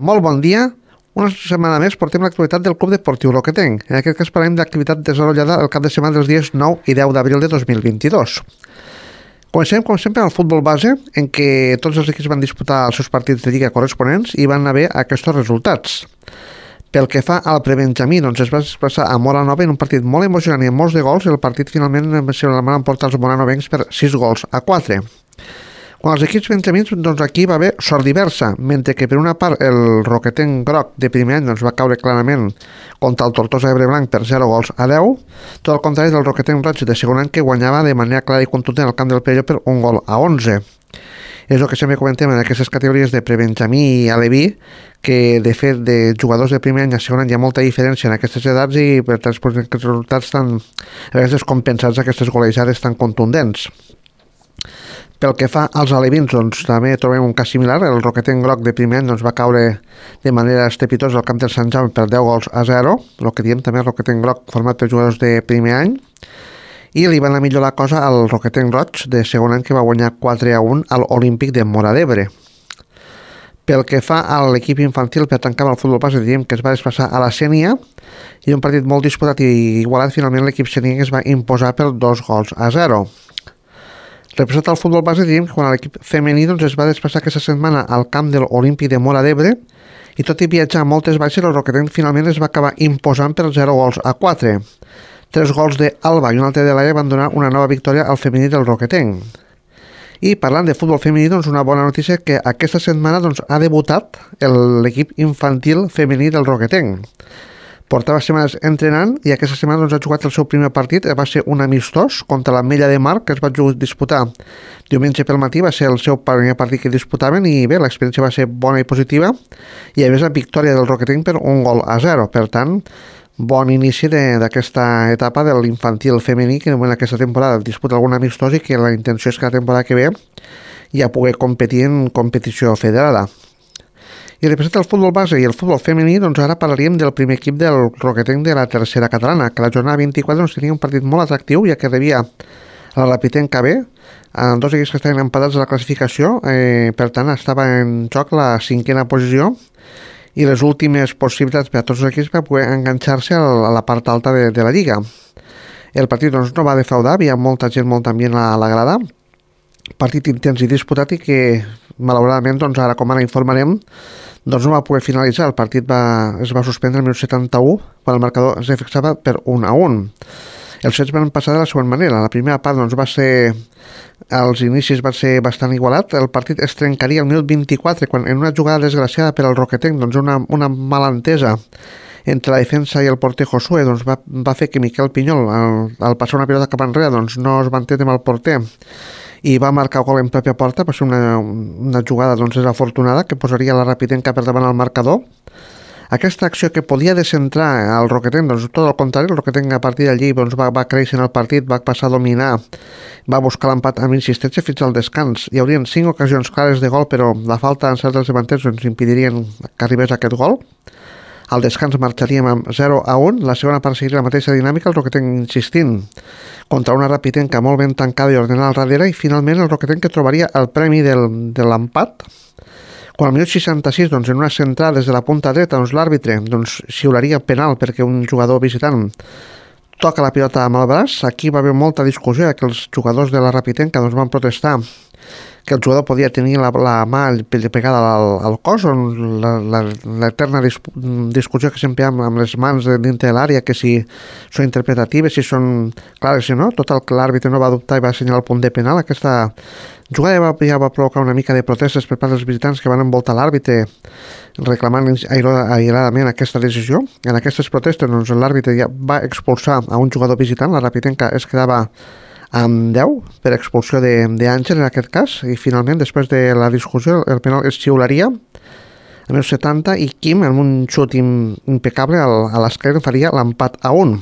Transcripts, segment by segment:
Molt bon dia. Una setmana més portem l'actualitat del Club Deportiu Roquetenc. En aquest cas parlem d'activitat desenvolupada el cap de setmana dels dies 9 i 10 d'abril de 2022. Comencem, com sempre, al futbol base, en què tots els equips van disputar els seus partits de lliga corresponents i van haver aquests resultats. Pel que fa al prebenjamí, doncs es va desplaçar a Móra Nova en un partit molt emocionant i amb molts de gols. El partit finalment se la van emportar els moranovencs per 6-4. Quan els equips benjamins, doncs aquí va haver sort diversa, mentre que per una part el Roquetenc groc de primer any doncs, va caure clarament contra el Tortosa Ebreblanc per 0-10, tot el contrari del Roquetenc roig de segon any que guanyava de manera clara i contundent al camp del Perelló per 1-11. És el que sempre comentem en aquestes categories de prebenjamí i aleví, que de fet de jugadors de primer any a segon any hi ha molta diferència en aquestes edats i per tant aquests resultats estan a vegades descompensats aquestes golejades tan contundents. Pel que fa als alevins, doncs, també trobem un cas similar. El Roquetenc groc de primer any doncs, va caure de manera estrepitosa al camp del Sant Jaume per 10-0, el que diem també el Roquetenc groc format per jugadors de primer any, i li van a millorar la cosa al Roquetenc roig de segon any, que va guanyar 4-1 a l'Olímpic de Móra d'Ebre. Pel que fa a l'equip infantil, per tancar el futbol base, diríem que es va desplaçar a la Sénia, i un partit molt disputat i igualat, finalment l'equip sénia es va imposar per 2-0. Representat al futbol base, diríem que quan l'equip femení doncs, es va desplaçar aquesta setmana al camp de l'Olímpic de Móra d'Ebre, i tot i viatjar moltes baixes, el Roquetenc finalment es va acabar imposant per 0-4. 3 gols d'Alba i un altre de l'Aia van donar una nova victòria al femení del Roquetenc. I parlant de futbol femení, doncs una bona notícia que aquesta setmana doncs, ha debutat l'equip infantil femení del Roquetenc. Portava setmanes entrenant i aquesta setmana doncs, ha jugat el seu primer partit. Va ser un amistós contra l'Ametlla de Mar, que es va disputar diumenge pel matí. Va ser el seu primer partit que disputaven i bé, l'experiència va ser bona i positiva, i a més la victòria del Roquetenc per 1-0. Per tant, bon inici d'aquesta etapa de l'infantil femení, que en aquesta temporada disputa algun amistós i que la intenció és que la temporada que ve ja pugui competir en competició federada. I representa el futbol base i el futbol femení, doncs ara parlaríem del primer equip del Roquetenc de la tercera catalana, que la jornada 24 doncs, tenia un partit molt atractiu, ja que rebia la Rapitenca B, amb dos equips que estaven empatats a la classificació, per tant estava en joc la 5a posició i les últimes possibilitats per a tots els equips per poder enganxar-se a la part alta de la lliga. El partit doncs, no va defraudar, havia molta gent, molt ambient a la grada, partit intens i disputat i que malauradament, doncs ara com ara informarem, doncs no va poder finalitzar. El partit es va suspendre el minut 71 quan el marcador es fixava per 1-1. Els fets van passar de la següent manera. La primera part doncs, als inicis va ser bastant igualat. El partit es trencaria al minut 24 quan en una jugada desgraciada per al Roquetenc, doncs una mala entesa entre la defensa i el porter Josué doncs va fer que Miquel Pinyol al passar una pilota cap enrere doncs no es va entendre amb el porter i va marcar gol en pròpia porta. Va ser una jugada doncs, desafortunada que posaria la Rapitenca per davant al marcador. Aquesta acció que podia descentrar al Roquetenc, doncs tot el contrari, el Roquetenc a partir d'allí doncs, va créixer en el partit, va passar a dominar, va buscar l'empat amb insistència fins al descans. Hi haurien 5 ocasions clares de gol, però la falta en certs dels davanters ens impedirien que arribés aquest gol. Al descans marxaríem amb 0-1, la segona part seguiria la mateixa dinàmica, el Roquetenc insistint contra una Rapitenca molt ben tancada i ordenada al darrere, i finalment el Roquetenc que trobaria el premi de l'empat, quan al minut 66, doncs, en una centrada des de la punta dreta, doncs, l'àrbitre doncs, xiularia penal perquè un jugador visitant toca la pilota amb el braç. Aquí va haver molta discussió, que els jugadors de la Rapitenca doncs, van protestar que el jugador podia tenir la mà pegada al cos, l'eterna discussió que sempre hi ha amb les mans dintre de l'àrea, que si són interpretatives, si són clares o no. Total, que l'àrbitre no va dubtar i va assenyalar el punt de penal. Aquesta jugada ja va provocar una mica de protestes per part dels visitants que van envoltar l'àrbitre reclamant airadament aquesta decisió. En aquestes protestes doncs, l'àrbitre ja va expulsar a un jugador visitant. La Rapitenca es quedava amb 10 per expulsió d'Àngel en aquest cas, i finalment després de la discussió el penal es xiularia a més 70 i Quim amb un xut impecable a l'esquerra faria l'empat a 1.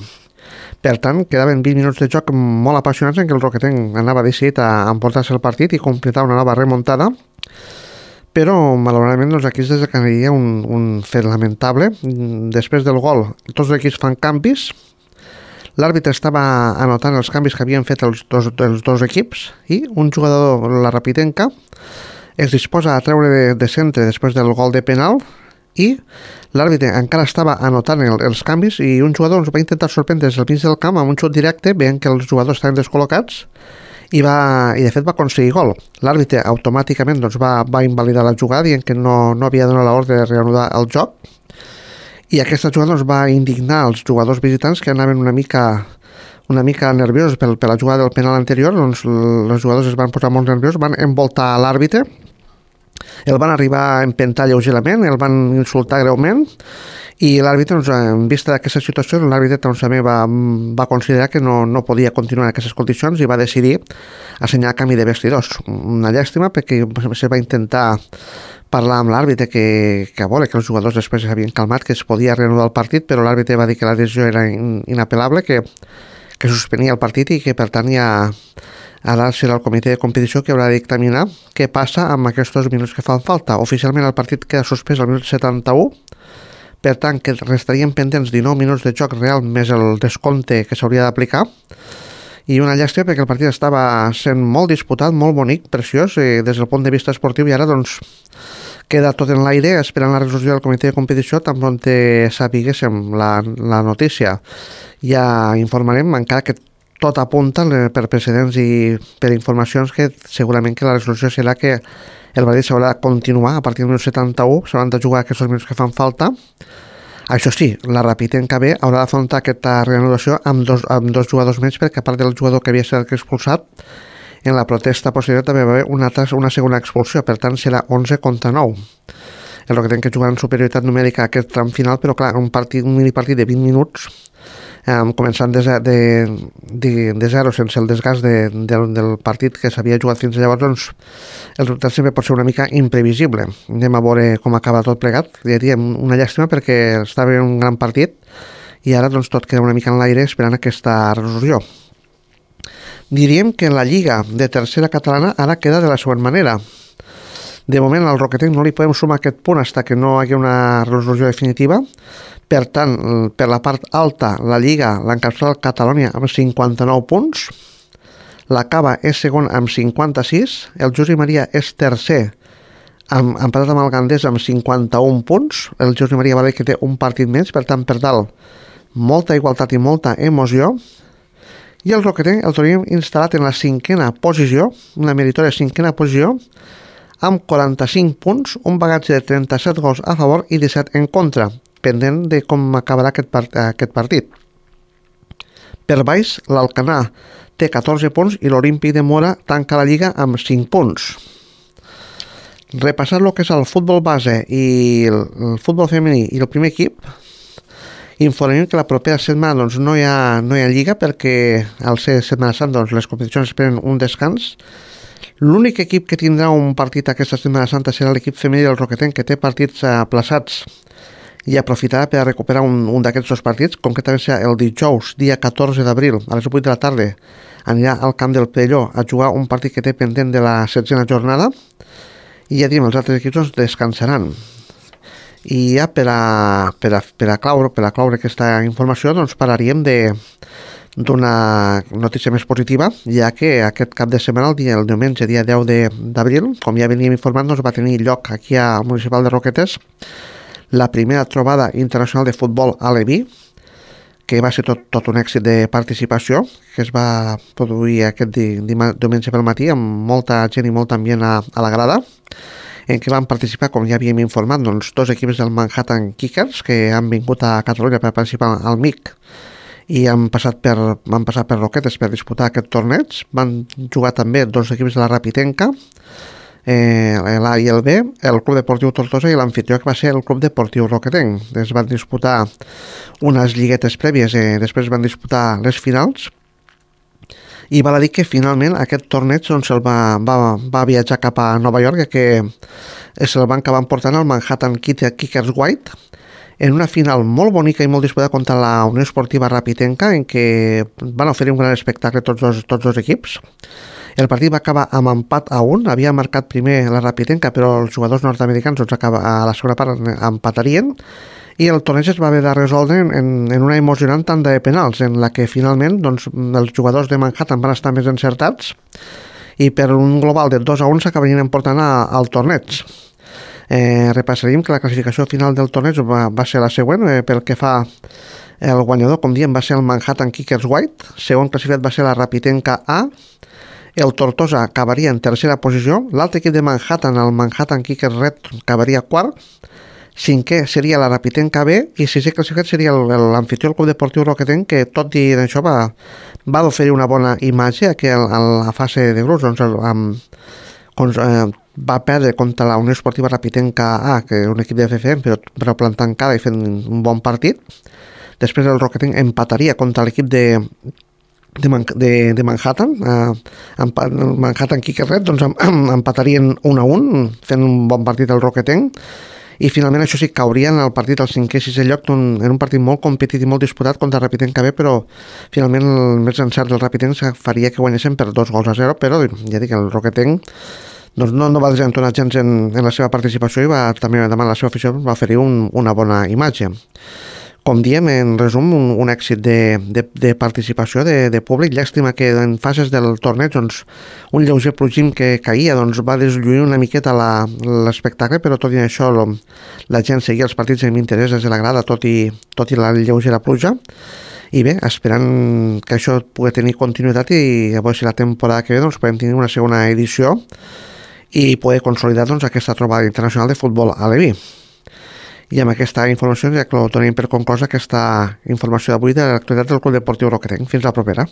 Per tant, quedaven 20 minuts de joc molt apassionats en què el Roquetenc anava decidit a emportar-se el partit i completar una nova remuntada, però malauradament doncs, aquí es desencadenaria un fet lamentable. Després del gol tots els equips fan canvis. L'àrbitre estava anotant els canvis que havien fet els dos equips i un jugador, la Rapitenca, es disposa a treure de centre després del gol de penal i l'àrbitre encara estava anotant els canvis i un jugador va intentar sorprendre des del mig del camp amb un xut directe, veient que els jugadors estaven descol·locats i de fet va aconseguir gol. L'àrbitre automàticament va invalidar la jugada dient que no havia donat l'ordre de reanudar el joc, i aquesta jugada va indignar els jugadors visitants, que anaven una mica nerviosos per la jugada del penal anterior. Els jugadors es van posar molt nerviosos, van envoltar l'àrbitre, el van arribar a empentar lleugerament, el van insultar greument, i l'àrbitre, en vista d'aquesta situació, l'àrbitre també va considerar que no podia continuar en aquestes condicions i va decidir assenyalar canvi de vestidors. Una llàstima, perquè se va intentar parlar amb l'àrbitre que els jugadors després s'havien calmat, que es podia reanudar el partit, però l'àrbitre va dir que la decisió era inapel·lable, que suspenia el partit i que per tant ara serà el comitè de competició que haurà de dictaminar què passa amb aquests minuts que fan falta. Oficialment el partit queda suspès al minut 71, per tant que restarien pendents 19 minuts de joc real més el descompte que s'hauria d'aplicar, i una llàstima perquè el partit estava sent molt disputat, molt bonic, preciós des del punt de vista esportiu, i ara queda tot en l'aire esperant la resolució del comitè de competició. Tan bon sapiguéssim la notícia ja informarem, encara que tot apunta per precedents i per informacions que segurament que la resolució serà que el partit s'haurà de continuar a partir del minut 71, s'hauran de jugar aquests minuts que fan falta. Això sí, la Rapitenca B haurà d'afrontar aquesta reanudació amb dos jugadors menys, perquè a part del jugador que havia estat expulsat, en la protesta posterior també va haver una segona expulsió, per tant serà 11 contra 9. El Roquetenc que jugarà en superioritat numèrica a aquest tram final, però clar, un minipartit de 20 minuts, començant de zero, sense el desgast del partit que s'havia jugat fins llavors, el resultat sempre pot ser una mica imprevisible. Anem a veure com acaba tot plegat. Diríem una llàstima perquè estava en un gran partit i ara tot queda una mica en l'aire esperant aquesta resolució. Diríem que la Lliga de tercera catalana ara queda de la següent manera. De moment al Roquetenc no li podem sumar aquest punt fins que no hi hagi una resolució definitiva. Per tant, per la part alta, la Lliga l'encapçala el Catalunya amb 59 punts, la Cava és segon amb 56, el José Maria és tercer, empatat amb el Gandés amb 51 punts, el José Maria Valer que té un partit menys, per tant, per dalt, molta igualtat i molta emoció, i el Roquetenc el tenim instal·lat en la cinquena posició, una meritòria cinquena posició, amb 45 punts, un bagatge de 37 gols a favor i 17 en contra, pendent de com acabarà aquest partit. Per baix, l'Alcanar té 14 punts i l'Olímpic de Mora tanca la Lliga amb 5 punts. Repassar el que és el futbol base i el futbol femení i el primer equip, informem que la propera setmana no hi ha Lliga, perquè al ser Setmana Santa les competicions esperen un descans. L'únic equip que tindrà un partit aquesta Setmana Santa serà l'equip femení del Roquetenc, que té partits aplaçats i aprofitarà per a recuperar un d'aquests dos partits. Concretament serà el dijous, dia 14 d'abril, a les 8 de la tarda, anirà al camp del Perelló a jugar un partit que té pendent de la 16a jornada, i ja diem, els altres equips descansaran. I ja per a claure aquesta informació, parlaríem d'una notícia més positiva, ja que aquest cap de setmana, el diumenge, dia 10 d'abril, com ja veníem informant, va tenir lloc aquí al municipal de Roquetes la primera trobada internacional de futbol aleví, que va ser tot un èxit de participació, que es va produir aquest diumenge pel matí amb molta gent i molt ambient a la grada, en què van participar, com ja havíem informat, dos equips del Manhattan Kickers que han vingut a Catalunya per participar al MIC i van passar per Roquetes per disputar aquest torneig. Van jugar també dos equips de la Rapitenca, l'A i el B, el Club Deportiu Tortosa i l'anfitrió, que va ser el Club Deportiu Roquetenc. Es van disputar unes lliguetes prèvies, després van disputar les finals, i val a dir que finalment aquest torneig se'l va viatjar cap a Nova York, que se'l van acabar portant al Manhattan Kickers White, en una final molt bonica i molt disputada contra la Unió Esportiva Rapitenca, en què van oferir un gran espectacle tots dos equips. El partit va acabar amb empat a 1, havia marcat primer la Rapitenca, però els jugadors nord-americans a la segona part empatarien, i el torneig es va haver de resoldre en una emocionant tanda de penals, en la que finalment els jugadors de Manhattan van estar més encertats, i per un global de 2-1 s'acabarien emportant al torneig. Repassaríem que la classificació final del torneig va ser la següent. Pel que fa el guanyador, com diem, va ser el Manhattan Kickers White, segon classificat va ser la Rapitenca A, el Tortosa acabaria en tercera posició, l'altre equip de Manhattan, el Manhattan Kickers Red, acabaria quart, cinquè seria la Rapitenca B i sisè classificat seria l'anfitrió, el Club Deportiu Roquetenc, que tot i això va oferir una bona imatge a la fase de grups, va perdre contra la Unió Esportiva Rapitenca A, que és un equip de FFM, però plantant cara i fent un bon partit. Després el Roquetenc empataria contra l'equip de Manhattan, el Manhattan Kickers Red, doncs empatarien 1-1, fent un bon partit el Roquetenc, i finalment això sí, caurien el partit al 5è i 6è lloc, en un partit molt competit i molt disputat contra el Rapitenca B, però finalment el més encert del Rapitenc faria que guanyessin per 2-0, però ja dic, el Roquetenc doncs no va desentonar gens en la seva participació i també demà la seva afició va oferir una bona imatge. Com diem, en resum, un èxit de participació de públic. Llàstima que en fases del torneig doncs, un lleuger plogim que caïa va deslluir una miqueta l'espectacle, però tot i això la gent seguia els partits amb interès des de la grada, tot i la lleugera pluja. I bé, esperant que això pugui tenir continuïtat i a veure si la temporada que ve doncs, podem tenir una segona edició i poder consolidar aquesta trobada internacional de futbol aleví. I amb aquesta informació ja que ho tenim per conclosa aquesta informació d'avui de l'actualitat del Club Deportiu Roquetenc. Fins la propera.